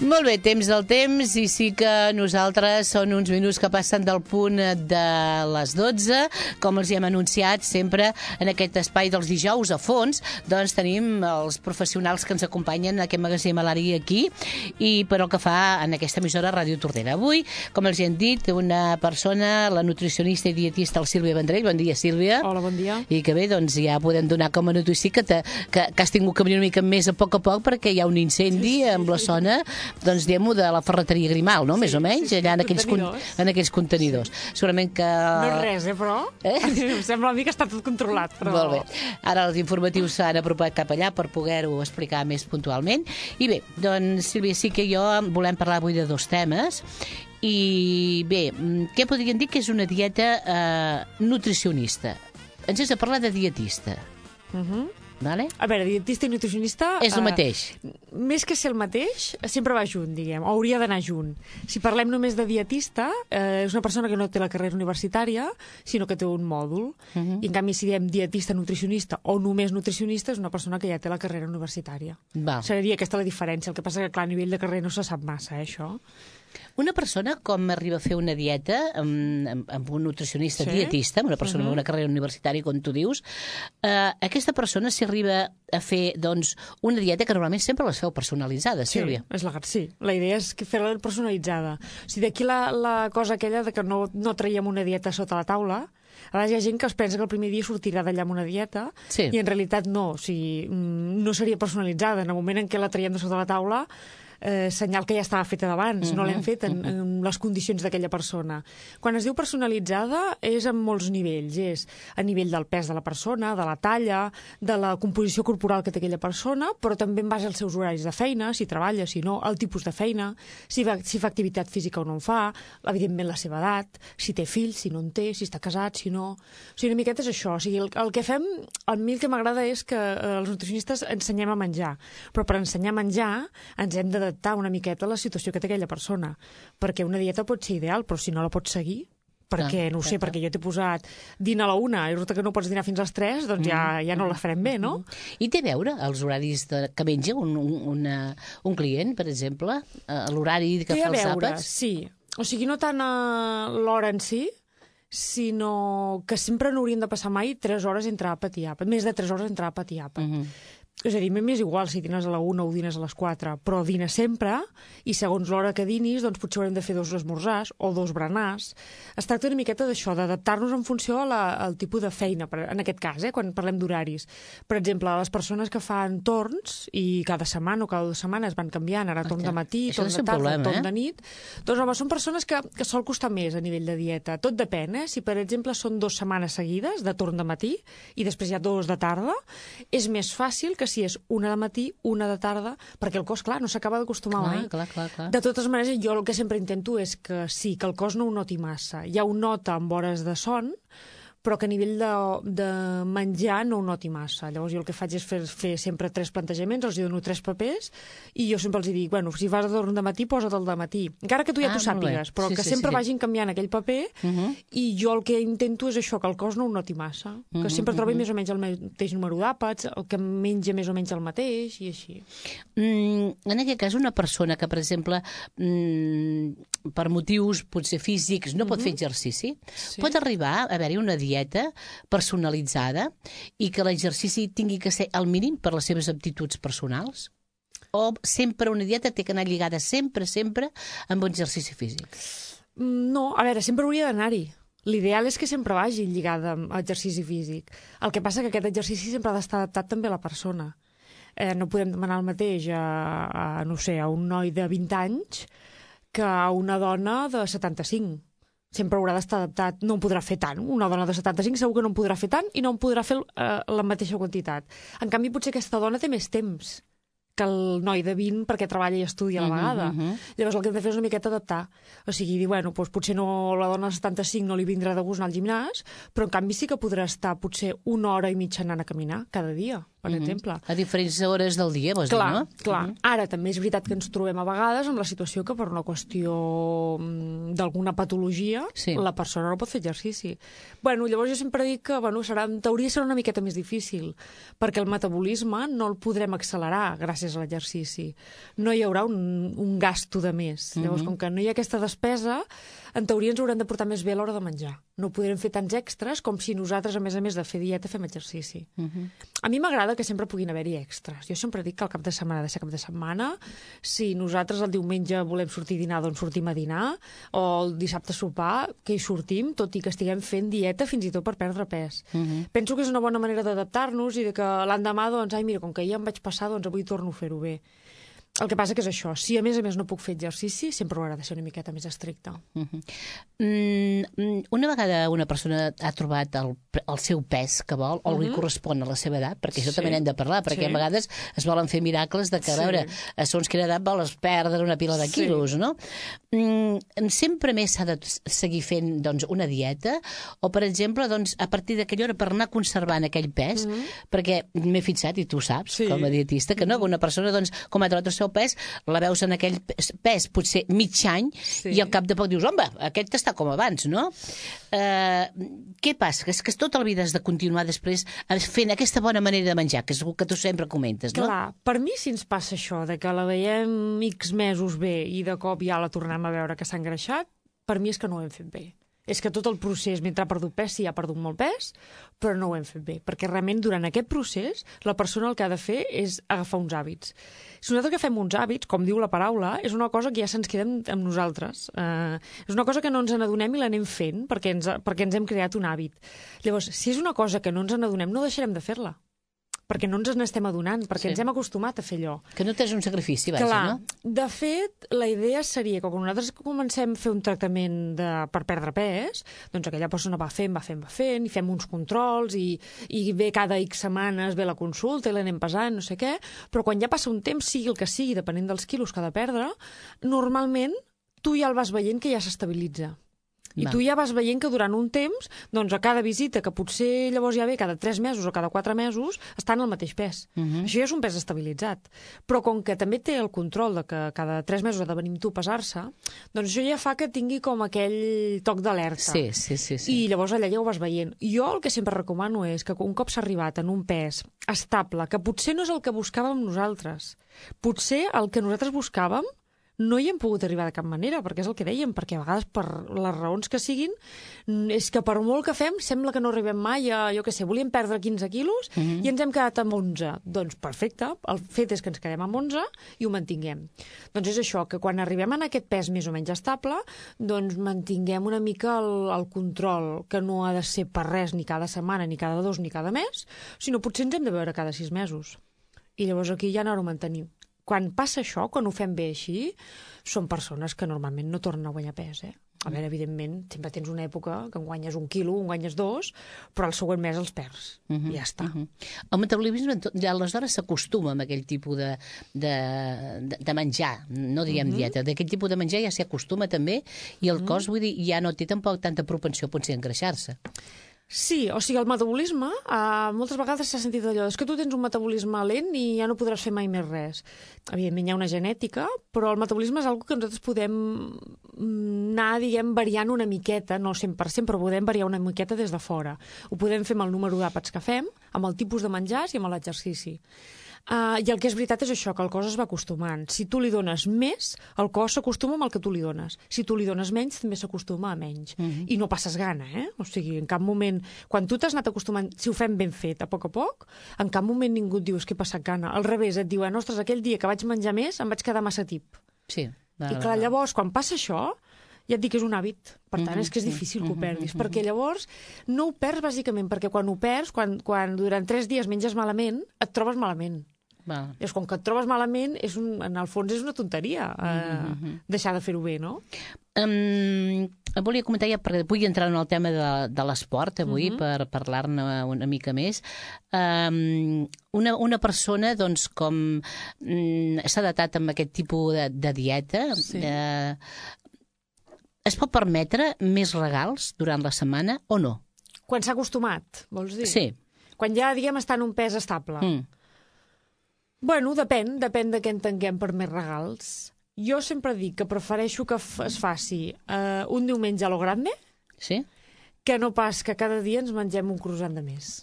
Molt bé, temps del temps, i sí que nosaltres són uns minuts que passen del punt de les 12, com els hi hem anunciat sempre en aquest espai dels dijous a fons, doncs tenim els professionals que ens acompanyen en aquest magatzem a l'Ari aquí, i per el que fa en aquesta emissora Ràdio Tordera. Avui, com els hi hem dit, una persona, la nutricionista i dietista, el Sílvia Vendrell. Bon dia, Sílvia. Hola, bon dia. I que bé, doncs ja podem donar com a notícia que has tingut que venir una mica més a poc perquè hi ha un incendi amb la zona, doncs diguem-ho, de la ferreteria Grimal, no? Més o menys, allà en aquells contenidors. Segurament que... No és res, però... Em sembla a mi que està tot controlat, però... Molt bé. Ara els informatius s'han apropat cap allà per poder-ho explicar més puntualment. I bé, doncs, Sílvia, sí que jo volem parlar avui de dos temes. I bé, què podríem dir que és una dieta nutricionista? Ens has de parlar de dietista. Vale? A veure, dietista i nutricionista... És el mateix. Més que ser el mateix, sempre va junt, diguem, o hauria d'anar junt. Si parlem només de dietista, és una persona que no té la carrera universitària, sinó que té un mòdul. I en canvi, si diem dietista, nutricionista o només nutricionista, és una persona que ja té la carrera universitària. Seria aquesta la diferència. El que passa que, clar, a nivell de carrera no se sap massa, això. Una persona com arriba a fer una dieta amb un nutricionista dietista, amb una persona amb una carrera universitària, com tu dius, aquesta persona s'arriba a fer doncs, una dieta que normalment sempre les feu personalitzada, Sílvia. Sí, la idea és fer-la personalitzada. O sigui, d'aquí la cosa aquella de que no traiem una dieta sota la taula. A vegades hi ha gent que es pensa que el primer dia sortirà d'allà amb una dieta i en realitat no, o sigui, no seria personalitzada. En el moment en què la traiem de sota la taula, senyal que ja estava feta d'abans, no l'hem fet en les condicions d'aquella persona. Quan es diu personalitzada és en molts nivells, és a nivell del pes de la persona, de la talla, de la composició corporal que té aquella persona, però també en base als seus horaris de feina, si treballa, si no, el tipus de feina, si fa activitat física o no en fa, evidentment la seva edat, si té fills, si no en té, si està casat, si no... O sigui, una miqueta és això. O sigui, el que fem, a mi el que m'agrada és que els nutricionistes ensenyem a menjar, però per ensenyar a menjar ens hem d'adaptar una miqueta a la situació que té aquella persona, perquè una dieta pot ser ideal, però si no la pots seguir, perquè, no ho sé, perquè jo t'he posat dinar a la 1 i resulta que no pots dinar fins a les 3, doncs ja no la farem bé, no? I té a veure els horaris que menja un client, per exemple, l'horari que fa els àpats? Sí. O sigui, no tant l'hora en si, sinó que sempre no hauríem de passar mai 3 hores entre àpat i àpat, més de 3 hores entre àpat i àpat. És a dir, m'és igual si dines a la 1 o dines a les 4, però dines sempre, i segons l'hora que dinis, doncs potser haurem de fer 2 esmorzars o 2 berenars. Es tracta una miqueta d'això, d'adaptar-nos en funció al tipus de feina, en aquest cas, quan parlem d'horaris. Per exemple, les persones que fan torns, i cada setmana o cada 2 setmanes van canviant, ara torn de matí, torn de tarda, torn de nit, doncs home, són persones que sol costar més a nivell de dieta. Tot depèn, Si per exemple són 2 setmanes seguides de torn de matí i després hi ha 2 de tarda, és més fàcil que si és 1 de matí, 1 de tarda, perquè el cos, clar, no s'acaba d'acostumar mai. Clar. De totes maneres, jo el que sempre intento és que sí, que el cos no ho noti massa. Ja ho nota amb hores de son, però que a nivell de menjar no ho noti massa. Llavors jo el que faig és fer sempre 3 plantejaments, els dono 3 papers, i jo sempre els dic, bueno, si vas a dormir de matí, posa't el de matí. Encara que tu ja t'ho sàpigues, però que sempre vagin canviant aquell paper, i jo el que intento és això, que el cos no ho noti massa, que sempre trobi més o menys el mateix número d'àpats, el que menja més o menys el mateix, i així. En aquest cas, una persona que, per exemple, per motius potser físics no pot fer exercici, pot arribar a haver-hi una dieta personalitzada i que l'exercici tingui que ser al mínim per les seves aptituds personals? O sempre una dieta té que anar lligada sempre amb un exercici físic? No, a veure, sempre hauria d'anar-hi. L'ideal és que sempre vagi lligada amb exercici físic. El que passa que aquest exercici sempre ha d'estar adaptat també a la persona. No podem demanar el mateix a un noi de 20 anys que a una dona de 75. Sempre haurà d'estar adaptat, no en podrà fer tant. Una dona de 75 segur que no en podrà fer tant i no en podrà fer la mateixa quantitat. En canvi, potser aquesta dona té més temps que el noi de 20 perquè treballa i estudia a la vegada. Llavors el que hem de fer és una miqueta adaptar. O sigui, dir, bueno, doncs potser no, la dona de 75 no li vindrà de gust anar al gimnàs, però en canvi sí que podrà estar potser 1 hora i mitja anant a caminar cada dia. per exemple. A diferents hores del dia, vols dir, no? Clar. Ara, també és veritat que ens trobem a vegades amb la situació que per una qüestió d'alguna patologia la persona no pot fer exercici. Bueno, llavors jo sempre dic que en teoria serà una miqueta més difícil, perquè el metabolisme no el podrem accelerar gràcies a l'exercici. No hi haurà un gasto de més. Llavors, com que no hi ha aquesta despesa, en teoria ens haurem de portar més bé a l'hora de menjar. No podrem fer tants extras com si nosaltres, a més de fer dieta, fem exercici. A mi m'agrada que sempre puguin haver-hi extras. Jo sempre dic que el cap de setmana ha de ser cap de setmana. Si nosaltres el diumenge volem sortir a dinar, doncs sortim a dinar, o el dissabte a sopar, que hi sortim, tot i que estiguem fent dieta fins i tot per perdre pes. Penso que és una bona manera d'adaptar-nos i de que l'endemà, doncs, mira, com que ja em vaig passar, doncs avui torno a fer-ho bé. El que passa que és això, si a més no puc fer exercici, sempre haurà de ser una miqueta més estricte. Una vegada una persona ha trobat el seu pes que vol, o li correspon a la seva edat, perquè això també n'hem de parlar, perquè a vegades es volen fer miracles de que, a veure, a segons quina edat vols perdre una pila de quilos, no? Sempre més s'ha de seguir fent una dieta, o, per exemple, a partir d'aquella hora per anar conservant aquell pes, perquè m'he fixat, i tu saps, com a dietista, que no, una persona, com ha trobat el seu pes, la veus en aquell pes potser mig any i al cap de poc dius, home, aquest està com abans, no? Què passa? És que tota la vida has de continuar després fent aquesta bona manera de menjar, que és el que tu sempre comentes, no? Clar, per mi si ens passa això, de que la veiem X mesos bé i de cop ja la tornem a veure que s'ha engreixat, per mi és que no ho hem fet bé. És que tot el procés, mentre ha perdut pes, sí, ha perdut molt pes, però no ho hem fet bé, perquè realment durant aquest procés la persona el que ha de fer és agafar uns hàbits. Si nosaltres agafem uns hàbits, com diu la paraula, és una cosa que ja se'ns queda amb nosaltres. És una cosa que no ens n'adonem i l'anem fent perquè ens hem creat un hàbit. Llavors, si és una cosa que no ens n'adonem, no deixarem de fer-la, perquè no ens n'estem adonant, perquè ens hem acostumat a fer allò. Que no tens un sacrifici, vaja, no? De fet, la idea seria que quan nosaltres comencem a fer un tractament per perdre pes, doncs aquella persona va fent, i fem uns controls, i ve cada X setmanes, ve la consulta i l'anem pesant, no sé què, però quan ja passa un temps, sigui el que sigui, depenent dels quilos que ha de perdre, normalment tu ja el vas veient que ja s'estabilitza. I tu ja vas veient que durant un temps, doncs a cada visita, que potser llavors ja ve cada 3 mesos o cada 4 mesos, estan al mateix pes. Això ja és un pes estabilitzat. Però com que també té el control de que cada 3 mesos ha de venir tu a pesar-se, doncs això ja fa que tingui com aquell toc d'alerta. Sí. I llavors allà ja ho vas veient. Jo el que sempre recomano és que un cop s'ha arribat en un pes estable, que potser no és el que buscàvem nosaltres, potser el que nosaltres buscàvem no hi hem pogut arribar de cap manera, perquè és el que dèiem, perquè a vegades per les raons que siguin és que per molt que fem sembla que no arribem mai a, jo què sé, volíem perdre 15 quilos i ens hem quedat amb 11. Doncs perfecte, el fet és que ens quedem amb 11 i ho mantinguem. Doncs és això, que quan arribem en aquest pes més o menys estable, doncs mantinguem una mica el control, que no ha de ser per res ni cada setmana, ni cada 2, ni cada mes, sinó potser ens hem de veure cada 6 mesos. I llavors aquí ja anar-ho mantenim. Quan passa això, quan ho fem bé així, són persones que normalment no tornen a guanyar pes, A veure, evidentment, sempre tens una època que en guanyes 1 quilo, en guanyes 2, però el següent mes els perds. I ja està. El metabolisme, aleshores, s'acostuma amb aquell tipus de menjar, no diguem dieta, d'aquell tipus de menjar ja s'hi acostuma també, i el cos, vull dir, ja no té tampoc tanta propensió potser a engreixar-se. Sí, o sigui, el metabolisme, moltes vegades s'ha sentit allò, és que tu tens un metabolisme lent i ja no podràs fer mai més res. Evidentment hi ha una genètica, però el metabolisme és una que nosaltres podem anar, diguem, variant una miqueta, no 100%, però podem variar una miqueta des de fora. Ho podem fer amb el número d'àpats que fem, amb el tipus de menjars i amb l'exercici. I el que és veritat és això, que el cos es va acostumant. Si tu li dones més, el cos s'acostuma amb el que tu li dones. Si tu li dones menys, també s'acostuma a menys. I no passes gana, O sigui, en cap moment... Quan tu t'has anat acostumant, si ho fem ben fet, a poc, en cap moment ningú et diu que he passat gana. Al revés, et diuen, ostres, aquell dia que vaig menjar més, em vaig quedar massa tip. Sí. I clar, llavors, quan passa això, ja et dic que és un hàbit. Per tant, és que és difícil que ho perdis. Perquè llavors no ho perds, bàsicament, perquè quan ho perds, quan durant 3 dies menges malament, et trobes malament. És com que et trobes malament, en el fons és una tonteria deixar de fer-ho bé, no? Volia comentar, ja perquè vull entrar en el tema de l'esport avui per parlar-ne una mica més. Una persona, doncs, com s'ha datat amb aquest tipus de dieta, es pot permetre més regals durant la setmana o no? Quan s'ha acostumat, vols dir? Sí. Quan ja, diguem, està en un pes estable. Bueno, depèn de què entenguem per més regals. Jo sempre dic que prefereixo que es faci un diumenge a lo grande, que no pas que cada dia ens mengem un croissant de més.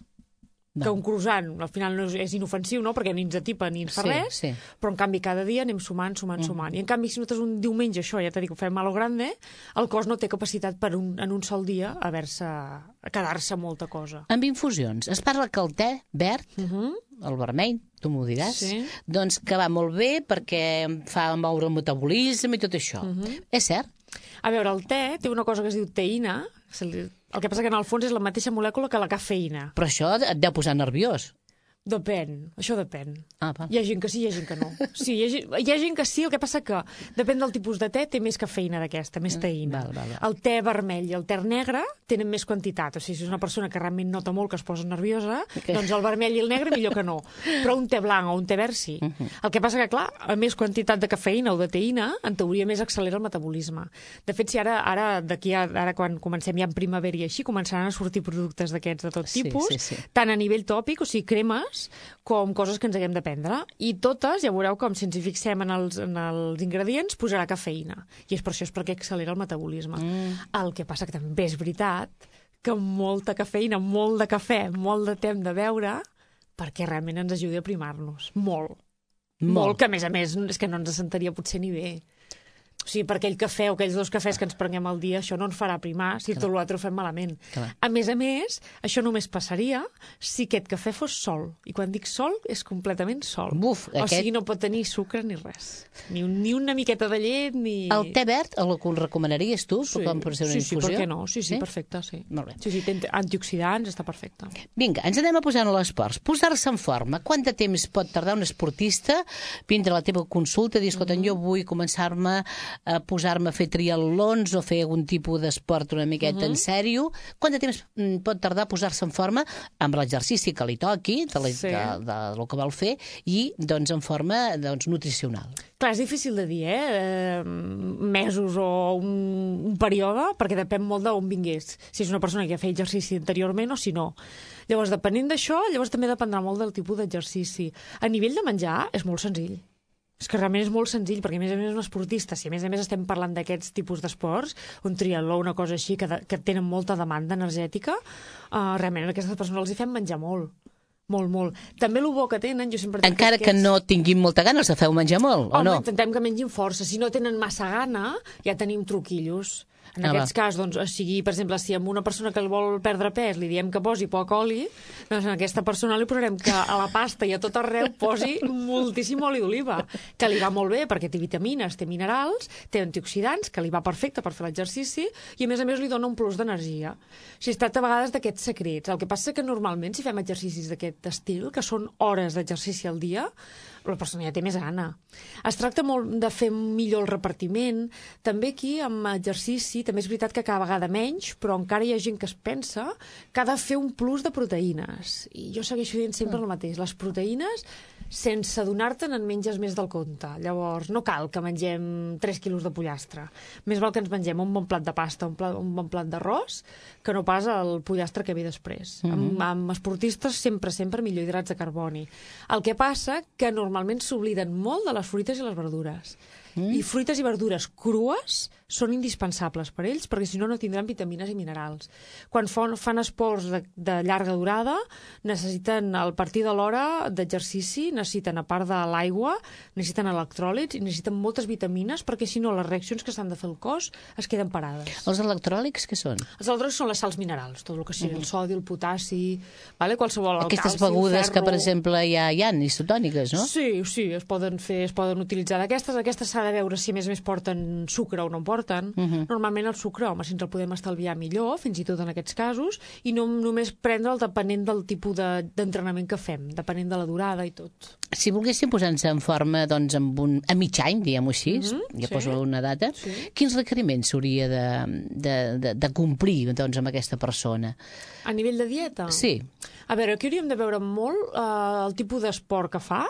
Que un croissant, al final no és inofensiu, no? Perquè ni ens atipa ni ens fa res, però en canvi cada dia anem sumant. I en canvi, si nosaltres un diumenge, això, ja t'he dit, ho fem a lo grande, el cos no té capacitat en un sol dia a quedar-se molta cosa. Amb infusions, es parla que el te verd, el vermell, tu m'ho diràs, doncs que va molt bé perquè fa moure el metabolisme i tot això. És cert? A veure, el te té una cosa que es diu teïna. El que passa que en el fons és la mateixa molècula que la cafeïna. Però això et deu posar nerviós. Depèn, això depèn. Va. Hi ha gent que sí, hi ha gent que no. Sí, hi ha gent que sí, el que passa que depèn del tipus de te, té més cafeïna d'aquesta, més teïna. El te vermell i el te negre tenen més quantitat. O sigui, si és una persona que realment nota molt que es posa nerviosa, doncs el vermell i el negre millor que no. Però un te blanc o un te verd sí. El que passa que, clar, a més quantitat de cafeïna o de teïna, en teoria més accelera el metabolisme. De fet, si ara quan comencem ja en primavera i així, començaran a sortir productes d'aquests de tot tipus, tant a nivell tòpic, o sigui, cremes, com coses que ens haguem de prendre. I totes, ja veureu com si ens hi fixem en els ingredients, posarà cafeïna. I és per això perquè accelera el metabolisme. El que passa que també és veritat que molta cafeïna, molt de cafè, molt de temps de beure, perquè realment ens ajudi a primar-nos. Molt, que a més és que no ens sentaria potser ni bé. O sigui, per aquell cafè o aquells 2 cafès que ens prenguem al dia, això no ens farà primar si tot l'altre ho fem malament. A més, això només passaria si aquest cafè fos sol. I quan dic sol, és completament sol. O sigui, no pot tenir sucre ni res. Ni una miqueta de llet, ni... El te verd, el recomanaries tu? Com per ser una infusió? Sí, per què no? Sí, perfecte, sí. Molt bé. Sí, té antioxidants, està perfecte. Vinga, ens anem a posar en l'esport. Posar-se en forma. Quant de temps pot tardar un esportista vindre a la teva consulta i dir, escolta, jo vull començar-me a posar-me a fer triatlons o fer algun tipus d'esport una miqueta en sèrio. Quant de temps pot tardar a posar-se en forma amb l'exercici que li toqui, del que vol fer, i doncs en forma nutricional? Clar, és difícil de dir, mesos o un període, perquè depèn molt d'on vingués. Si és una persona que ha fet exercici anteriorment o si no. Llavors, depenent d'això, també dependrà molt del tipus d'exercici. A nivell de menjar, és molt senzill. És que realment és molt senzill, perquè a més un esportista, si a més estem parlant d'aquests tipus d'esports, un triatló, una cosa així, que tenen molta demanda energètica, realment a aquestes persones els hi fem menjar molt. Molt. També el bo que tenen, jo sempre... Encara que no tinguin molta gana, els feu menjar molt, o no? Home, intentem que mengin força. Si no tenen massa gana, ja tenim truquillos. En aquest cas, doncs, per exemple, si a una persona que vol perdre pes li diem que posi poc oli, doncs a aquesta persona li posarem que a la pasta i a tot arreu posi moltíssim oli d'oliva, que li va molt bé perquè té vitamines, té minerals, té antioxidants, que li va perfecte per fer l'exercici i a més li dona un plus d'energia. O sigui, es tracta a vegades d'aquests secrets. El que passa que normalment si fem exercicis d'aquest estil, que són hores d'exercici al dia, la persona ja té més gana. Es tracta molt de fer millor el repartiment. També aquí, amb exercici, també és veritat que cada vegada menys, però encara hi ha gent que es pensa que ha de fer un plus de proteïnes. I jo segueixo dient sempre el mateix. Les proteïnes, sense adonar-te'n, en menges més del compte. Llavors, no cal que mengem 3 quilos de pollastre. Més val que ens mengem un bon plat de pasta, un bon plat d'arròs, que no pas el pollastre que ve després. Amb esportistes, sempre millor hidrats de carboni. El que passa que normalment s'obliden molt de les fruites i les verdures. I fruites i verdures crues són indispensables per ells, perquè si no, no tindran vitamines i minerals. Quan fan esports de llarga durada, necessiten, al partir de l'hora d'exercici, necessiten, a part de l'aigua, necessiten electròlits i necessiten moltes vitamines, perquè si no, les reaccions que s'han de fer al cos es queden parades. Els electròlits què són? Els electròlits són les sals minerals, tot el que sigui el sodi, el potassi, qualsevol, el aquestes calci, begudes el ferro. Que, per exemple, hi ha isotòniques, no? Sí, es poden utilitzar d'aquestes. Aquestes s'ha de veure si a més porten sucre o no en porten. Normalment el sucre, home, si ens el podem estalviar millor, fins i tot en aquests casos, i no només prendre'l depenent del tipus d'entrenament que fem, depenent de la durada i tot. Si volguéssim posar-nos en forma a mig any, diguem-ho així, poso una data, quins requeriments s'hauria de complir amb aquesta persona? A nivell de dieta? Sí. A veure, aquí hauríem de veure molt el tipus d'esport que fa,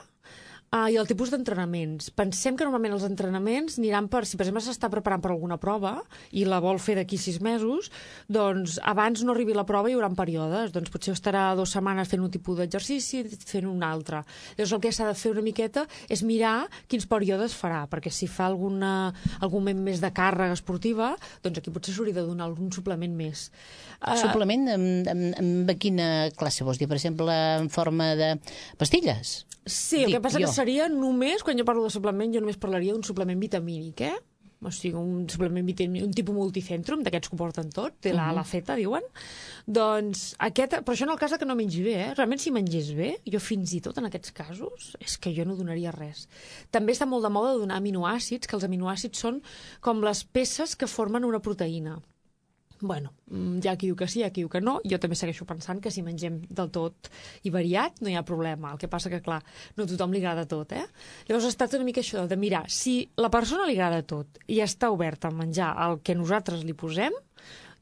I el tipus d'entrenaments. Pensem que normalment els entrenaments aniran per, si per exemple s'està preparant per alguna prova i la vol fer d'aquí 6 mesos, doncs abans no arribi la prova hi haurà períodes. Doncs potser estarà 2 setmanes fent un tipus d'exercici, fent un altre. Llavors el que s'ha de fer una miqueta és mirar quins períodes farà, perquè si fa algun moment més de càrrega esportiva, doncs aquí potser s'hauria de donar algun suplement més. Suplement amb quina classe vols dir? Per exemple, en forma de pastilles? Sí, el que passa que seria només, quan jo parlo de suplement, jo només parlaria d'un suplement vitamínic, O sigui, un suplement vitamínic, un tipus multicentrum, d'aquests que ho porten tot, de la Z, diuen. Doncs aquest, però això en el cas que no mengi bé, Realment si mengés bé, jo fins i tot en aquests casos, és que jo no donaria res. També està molt de moda donar aminoàcids, que els aminoàcids són com les peces que formen una proteïna. Bueno, hi ha qui diu que sí, hi ha qui diu que no. Jo també segueixo pensant que si mengem del tot i variat no hi ha problema. El que passa que, clar, no a tothom li agrada tot, Llavors es tracta una mica això de mirar si la persona li agrada tot i està oberta a menjar el que nosaltres li posem,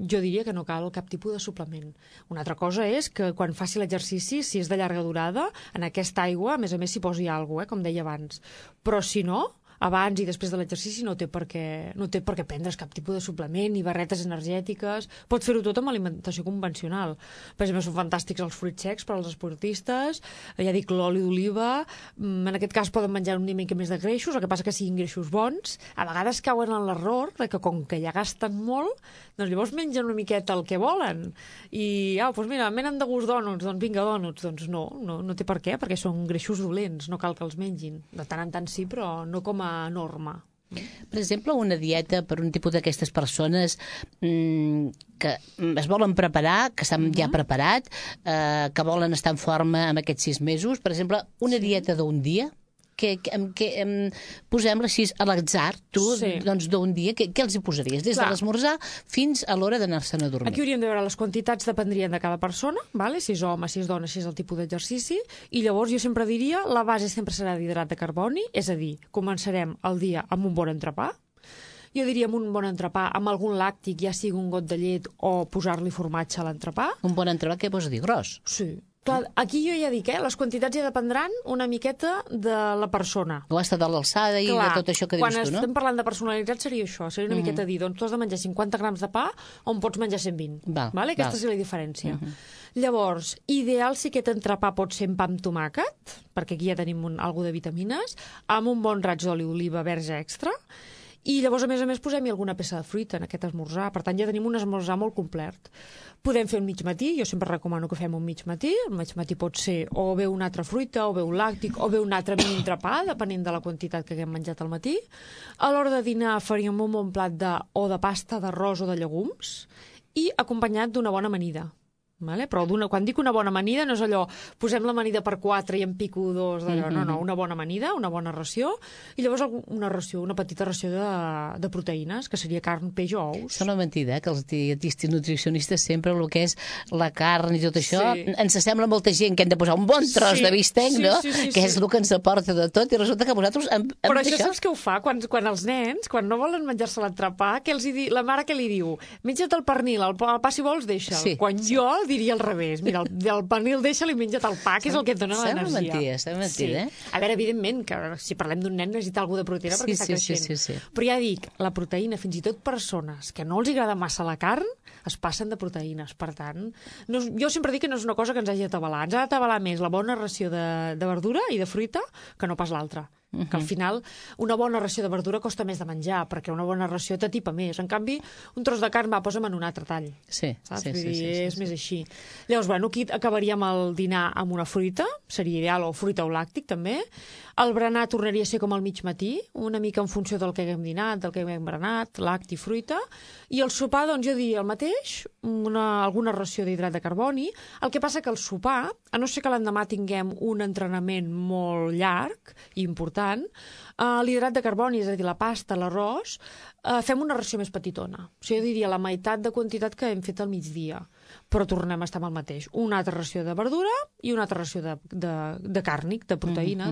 jo diria que no cal cap tipus de suplement. Una altra cosa és que quan faci l'exercici, si és de llarga durada, en aquesta aigua, a més s'hi posi alguna cosa, com deia abans. Però si no, abans i després de l'exercici no té per què prendre's cap tipus de suplement ni barretes energètiques. Pot fer-ho tot amb alimentació convencional. Per exemple, són fantàstics els fruits secs per als esportistes, ja dic, l'oli d'oliva, en aquest cas poden menjar una mica més de greixos, el que passa que siguin greixos bons. A vegades cauen en l'error de que com que ja gasten molt, doncs llavors mengen una miqueta el que volen. I, doncs mira, menen de gust dònuts, doncs vinga, dònuts. Doncs no té per què, perquè són greixos dolents, no cal que els mengin. De tant en tant sí, però no com a norma. Per exemple, una dieta per un tipus d'aquestes persones que es volen preparar, que estan ja preparat, que volen estar en forma en aquests 6 mesos, per exemple, una dieta d'un dia, posem-la així a l'atzar, tu, doncs d'un dia, què els hi posaries? Des de l'esmorzar fins a l'hora d'anar-se'n a dormir. Aquí hauríem de veure les quantitats dependrien de cada persona, si és home, si és dona, si és el tipus d'exercici, i llavors jo sempre diria, la base sempre serà d'hidrat de carboni, és a dir, començarem el dia amb un bon entrepà, jo diria amb un bon entrepà, amb algun làctic, ja sigui un got de llet o posar-li formatge a l'entrepà. Un bon entrepà, què vols dir? Gros? Sí. Clar, aquí jo ja dic, les quantitats ja dependran una miqueta de la persona. O està de l'alçada i de tot això que dius tu, no? Quan estem parlant de personalitat seria això, seria una miqueta dir, doncs tu has de menjar 50 grams de pa on pots menjar 120. Aquesta seria la diferència. Llavors, ideal si aquest entrepà pot ser amb pa amb tomàquet, perquè aquí ja tenim alguna de vitamines, amb un bon raig d'oli d'oliva verge extra, i llavors, a més, posem-hi alguna peça de fruita en aquest esmorzar. Per tant, ja tenim un esmorzar molt complet. Podem fer un mig matí, jo sempre recomano que fem un mig matí. El mig matí pot ser o bé una altra fruita, o bé un làctic, o bé un altre mini entrepà, depenent de la quantitat que haguem menjat al matí. A l'hora de dinar faríem un bon plat o de pasta, d'arròs o de llegums, i acompanyat d'una bona amanida. Però quan dic una bona amanida no és allò, posem l'amanida per 4 i en pico 2 d'allò, no, una bona amanida, una bona ració, i llavors una petita ració de proteïnes, que seria carn, peix o ous. Sembla mentida, que els dietistes nutricionistes sempre el que és la carn i tot això, ens sembla molta gent que hem de posar un bon tros de bistec, no? Que és el que ens aporta de tot, i resulta que vosaltres però això saps què ho fa? Quan els nens, quan no volen menjar-se l'entrepà, la mare què li diu? Menja't el pernil, el pa si vols deixa'l. Quan jo diria al revés. Mira, el pernil deixa-li, menja't el pa, que és el que et dona l'energia. Sembla mentida, A veure, evidentment, que si parlem d'un nen necessita alguna de proteïna perquè està creixent. Però ja dic, la proteïna, fins i tot persones que no els agrada massa la carn, es passen de proteïnes. Per tant, jo sempre dic que no és una cosa que ens hagi d'atabalar. Ens ha d'atabalar més la bona ració de verdura i de fruita que no pas l'altra. Que al final una bona ració de verdura costa més de menjar, perquè una bona ració t'atipa més. En canvi, un tros de carn posa'm en un altre tall. És més així. Llavors, aquí acabaríem el dinar amb una fruita, seria ideal, o fruita o làctic també. El berenar tornaria a ser com al mig matí, una mica en funció del que haguem dinat, del que haguem berenat, làctic, fruita. I el sopar, doncs jo diria el mateix, alguna ració d'hidrat de carboni. El que passa que el sopar, a no ser que l'endemà tinguem un entrenament molt llarg i important, l'hidrat de carboni, és a dir, la pasta, l'arròs, fem una ració més petitona. O sigui, jo diria la meitat de quantitat que hem fet al migdia. però tornem a estar amb el mateix. Una altra ració de verdura i una altra ració de càrnic, de proteïna,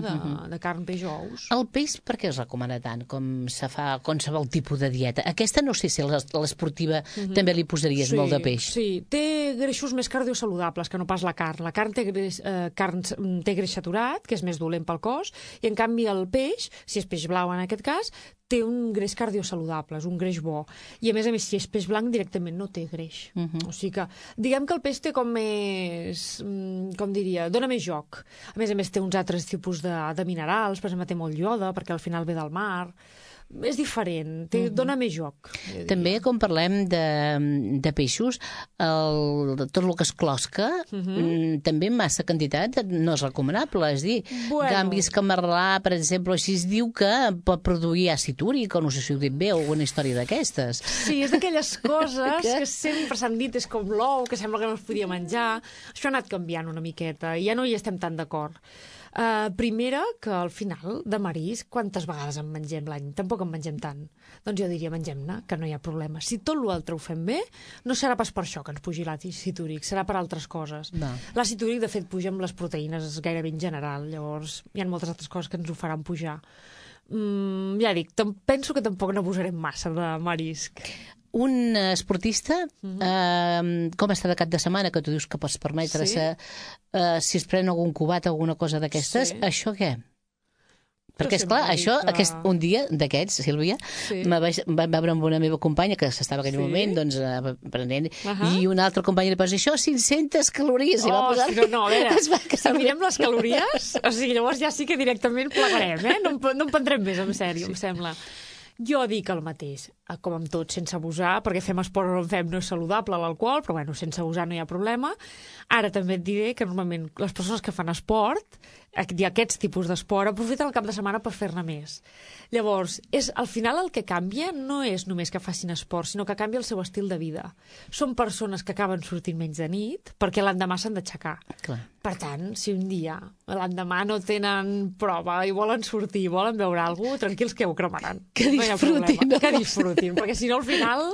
de carn, peix o ous. El peix per què es recomana tant com se fa qualsevol tipus de dieta? Aquesta no sé si a l'esportiva també li posaries molt de peix. Sí, té greixos més cardiosaludables que no pas la carn. La carn té greix saturat, que és més dolent pel cos, i en canvi el peix, si és peix blau en aquest cas, té un greix cardiosaludable, és un greix bo. I a més, si és peix blanc, directament no té greix. O sigui que, diguem que el peix té com més, com diria, dona més joc. A més, té uns altres tipus de minerals, per exemple, té molt ioda, perquè al final ve del mar. És diferent, dona més joc. També, quan parlem de peixos, tot el que es closca, també en massa quantitat no és recomanable. És dir, canvis camarlà, per exemple, així es diu que pot produir àcid úric, o no sé si ho dic bé, o alguna història d'aquestes. Sí, és d'aquelles coses que sempre s'han dit, és com l'ou, que sembla que no es podia menjar. Això ha anat canviant una miqueta, i ja no hi estem tan d'acord. Primera, que al final de marisc, quantes vegades en mengem l'any? Tampoc en mengem tant. Doncs jo diria, mengem-ne, que no hi ha problema. Si tot l'altre ho fem bé, no serà pas per això que ens pugi l'àcid úric, serà per altres coses. L'àcid úric, de fet, puja amb les proteïnes gairebé en general, llavors hi ha moltes altres coses que ens ho faran pujar. Ja dic, penso que tampoc n'abusarem massa de marisc. Un esportista, com està de cap de setmana, que tu dius que pots permetre si es pren algun cubat o alguna cosa d'aquestes, això què? Perquè, esclar, això, un dia d'aquests, Sílvia, vaig veure amb una meva companya que s'estava en aquell moment doncs, aprenent, i una altra companya li posa això, 500 calories. No, a veure, si mirem les calories, o sigui, llavors ja sí que directament plegarem, no en prendrem més, en sèrio, em sembla. Jo dic el mateix, com amb tot, sense abusar, perquè fem esport o no en fem, no és saludable l'alcohol, però bueno, sense abusar no hi ha problema. Ara també et diré que normalment les persones que fan esport, aquests tipus d'esport, aprofiten el cap de setmana per fer-ne més. Llavors, al final el que canvia no és només que facin esport, sinó que canvia el seu estil de vida. Són persones que acaben sortint menys de nit perquè l'endemà s'han d'aixecar. Per tant, si un dia l'endemà no tenen prova i volen sortir, volen veure alguna cosa, tranquils que ho cremaran. Que disfrutin. Que disfrutin, perquè si no al final...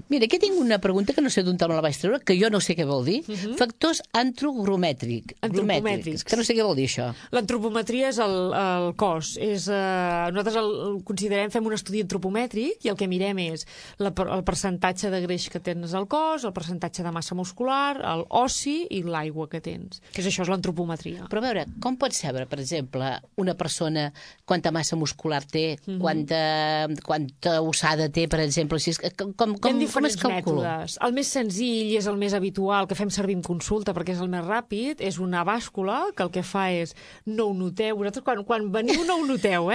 Mira, aquí tinc una pregunta que no sé d'on te me la vaig treure, que jo no sé què vol dir. Factors antropomètrics. Que no sé què vol dir això. L'antropometria és el cos. Nosaltres el considerem, fem un estudi antropomètric i el que mirem és el percentatge de greix que tens al cos, el percentatge de massa muscular, el ossi i l'aigua que tens. Això és l'antropometria. Però a veure, com pots saber, per exemple, una persona quanta massa muscular té, quanta ossada té, per exemple? Com es calcula? Mètodes. El més senzill i és el més habitual que fem servir en consulta perquè és el més ràpid, és una bàscula que el que fa és no ho noteu. Vosaltres quan veniu no ho noteu,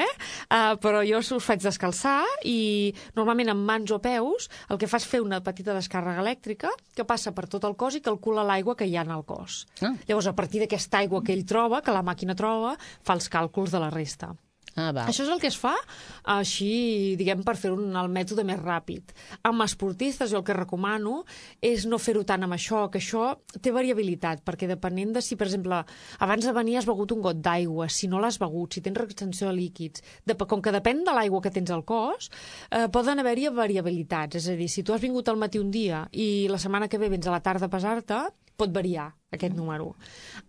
però jo us faig descalçar i normalment amb mans o peus el que fa és fer una petita descàrrega elèctrica que passa per tot el cos i calcula l'aigua que hi ha en el cos. Llavors, a partir d'aquesta aigua que ell troba, que la màquina troba, fa els càlculs de la resta. Això és el que es fa així, diguem, per fer el mètode més ràpid. Amb esportistes jo el que recomano és no fer-ho tant amb això, que això té variabilitat, perquè depenent de si, per exemple, abans de venir has begut un got d'aigua, si no l'has begut, si tens retenció de líquids, com que depèn de l'aigua que tens al cos, poden haver-hi variabilitats. És a dir, si tu has vingut al matí un dia i la setmana que ve vens a la tarda a pesar-te, pot variar aquest número.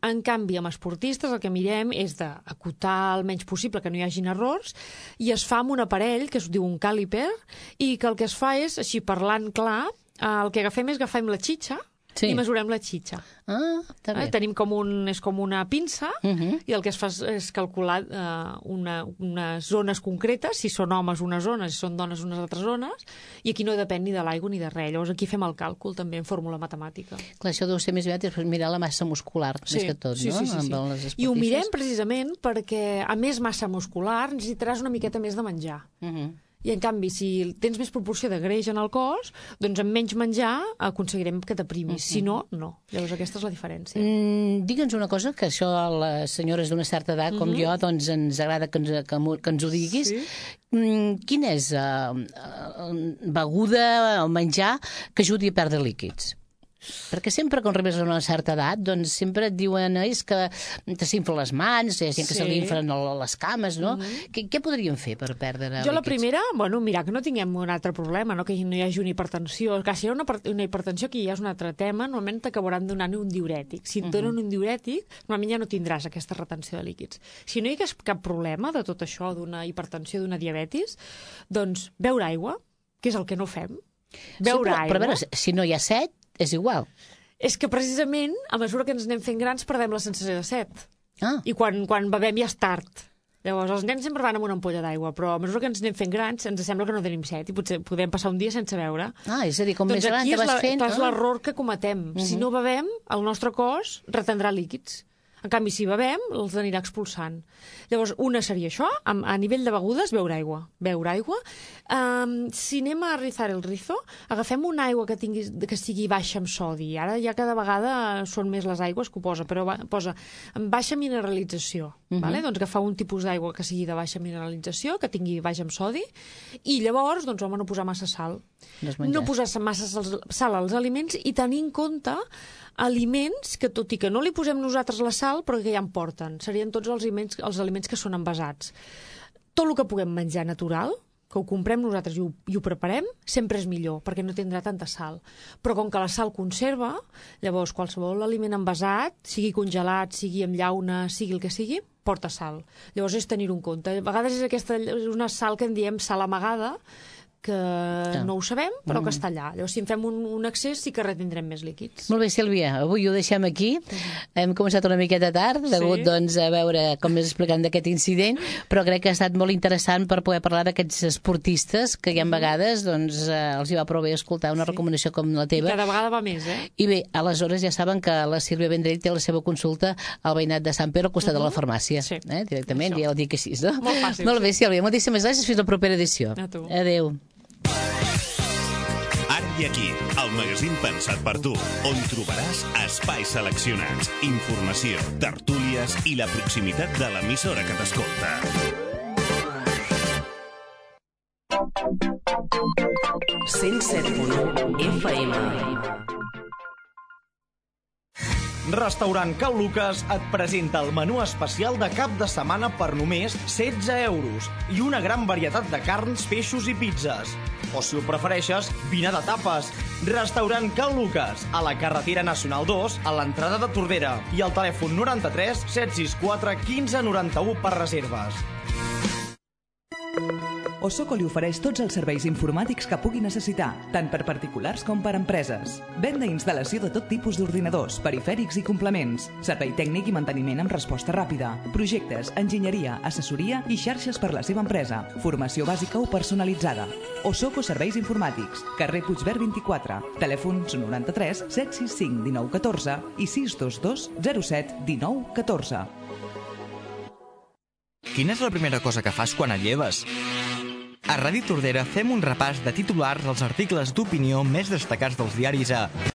En canvi, amb esportistes el que mirem és d'acotar el menys possible, que no hi hagin errors, i es fa amb un aparell que es diu un càliper i que el que es fa és, així parlant clar, el que agafem la xitxa i mesurem la xitxa. Tenim és com una pinça i el que es fa és calcular unes zones concretes, si són homes unes zones, si són dones unes altres zones, i aquí no depèn ni de l'aigua ni de res. Llavors aquí fem el càlcul també en fórmula matemàtica. Clar, això deu ser més aviat és mirar la massa muscular, més que tot, no? Sí. I ho mirem precisament perquè a més massa muscular necessitaràs una miqueta més de menjar. I en canvi, si tens més proporció de greix en el cos, doncs amb menys menjar aconseguirem que t'aprimis. Si no, no. Llavors aquesta és la diferència. Digue'ns una cosa, que això a les senyores d'una certa edat com jo, doncs ens agrada que ens ho diguis. Quina és beguda o menjar que ajudi a perdre líquids? Perquè sempre quan arribes a una certa edat, doncs sempre et diuen és que te s'inflen les mans, hi ha gent que se li inflen les cames, no? Què podríem fer per perdre líquids? Jo la primera, mirar que no tinguem un altre problema, no? Que no hi hagi una hipertensió. Clar, si hi ha una hipertensió, que ja és un altre tema, normalment t'acabaran donant un diurètic. Si et donen un diurètic, normalment ja no tindràs aquesta retenció de líquids. Si no hi hagués cap problema de tot això, d'una hipertensió, d'una diabetis, doncs beure aigua, que és el que no fem. Beure aigua. Però a veure, si no hi ha set, és igual. És que precisament, a mesura que ens anem fent grans, perdem la sensació de set. I quan bevem ja és tard. Llavors, els nens sempre van amb una ampolla d'aigua, però a mesura que ens anem fent grans, ens sembla que no tenim set i potser podem passar un dia sense beure. És a dir, com més gran te vas fent... Doncs aquí és l'error que cometem. Si no bevem, el nostre cos retendrà líquids. En canvi, si bevem, els anirà expulsant. Llavors, una seria això, a nivell de begudes, beure aigua. Beure aigua. Si anem a rizar el rizo, agafem una aigua que sigui baixa en sodi. Ara ja cada vegada són més les aigües que ho posa, però posa amb baixa mineralització. Vale? Doncs agafar un tipus d'aigua que sigui de baixa mineralització, que tingui baixa en sodi, i llavors, doncs, no posar massa sal. No posar massa sal als aliments i tenir en compte aliments que, tot i que no li posem nosaltres la sal, però que ja en porten. Serien tots els aliments que són envasats. Tot el que puguem menjar natural, que ho comprem nosaltres i ho preparem, sempre és millor, perquè no tindrà tanta sal. Però com que la sal conserva, llavors qualsevol aliment envasat, sigui congelat, sigui amb llauna, sigui el que sigui, porta sal. Llavors és tenir-ho en compte. A vegades és una sal que en diem sal amagada, que no ho sabem, però que està allà. Llavors, si en fem un excés, sí que retindrem més líquids. Molt bé, Sílvia, avui ho deixem aquí. Hem començat una miqueta tard, degut doncs, a veure com més explicant d'aquest incident, però crec que ha estat molt interessant per poder parlar d'aquests esportistes que ja en vegades doncs, els hi va prou bé escoltar una recomanació com la teva. I cada vegada va més, I bé, aleshores ja saben que la Sílvia Vendrell té la seva consulta al veïnat de Sant Pere al costat de la farmàcia. Directament, ja ho dic així, no? Molt fàcil. Molt bé, Sílvia, moltíssimes gràcies. Fins la propera edició. A tu. Adéu. Ara i aquí, el magazín pensat per tu, on trobaràs espais seleccionats, informació, tertúlies i la proximitat de l'emissora que t'escolta. FM. Restaurant Cal Lucas et presenta el menú especial de cap de setmana per només 16 euros i una gran varietat de carns, peixos i pizzas. O si ho prefereixes, vine de tapes. Restaurant Cal Lucas, a la carretera Nacional 2, a l'entrada de Tordera, i al telèfon 93 764 15 91 per reserves. Osoco li ofereix tots els serveis informàtics que pugui necessitar, tant per particulars com per empreses. Venda i instal·lació de tot tipus d'ordinadors, perifèrics i complements. Servei tècnic i manteniment amb resposta ràpida. Projectes, enginyeria, assessoria i xarxes per la seva empresa. Formació bàsica o personalitzada. Osoco Serveis Informàtics. Carrer Puigverd 24. Telèfons 93 765 19 14 i 622 07 19 14. Quina és la primera cosa que fas quan et lleves? A Ràdio Tordera fem un repàs de titulars dels articles d'opinió més destacats dels diaris a